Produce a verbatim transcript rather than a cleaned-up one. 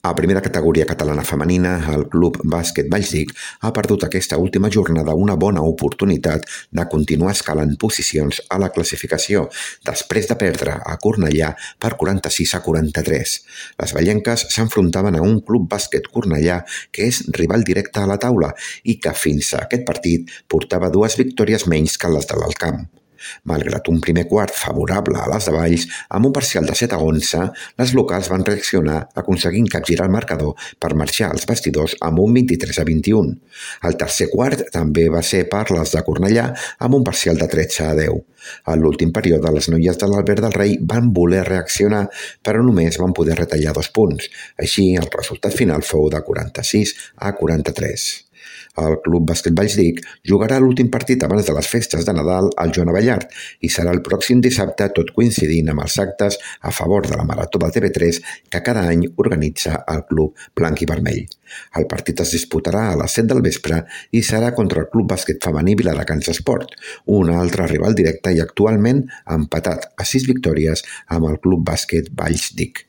A primera categoria catalana femenina, el Club Bàsquet Vallsdic ha perdut aquesta última jornada una bona oportunitat de continuar escalant posicions a la classificació, després de perdre a Cornellà per quaranta-sis a quaranta-tres. Les vallenques s'enfrontaven a un Club Bàsquet Cornellà que és rival directe a la taula i que fins a aquest partit portava dues victòries menys que les de l'Alt Camp. Malgrat un primer quart favorable a les de Valls, amb un parcial de set a onze, les locals van reaccionar aconseguint capgirar el marcador per marxar als vestidors amb un vint-i-tres a vint-i-un. El tercer quart també va ser per les de Cornellà amb un parcial de tretze a deu. A l'últim període, les noies de l'Albert del Rei van voler reaccionar, però només van poder retallar dos punts. Així, el resultat final fou de quaranta-sis a quaranta-tres. El Club Bàsquet Vallsdic jugarà l'últim partit abans de les festes de Nadal al Joan Abellard i serà el pròxim dissabte, tot coincidint amb els actes a favor de la Marató de T V tres que cada any organitza el Club Blanc i Vermell. El partit es disputarà a les set del vespre i serà contra el Club Bàsquet Femení Viladecans Esport, un altre rival directe i actualment empatat a sis victòries amb el Club Bàsquet Vallsdic.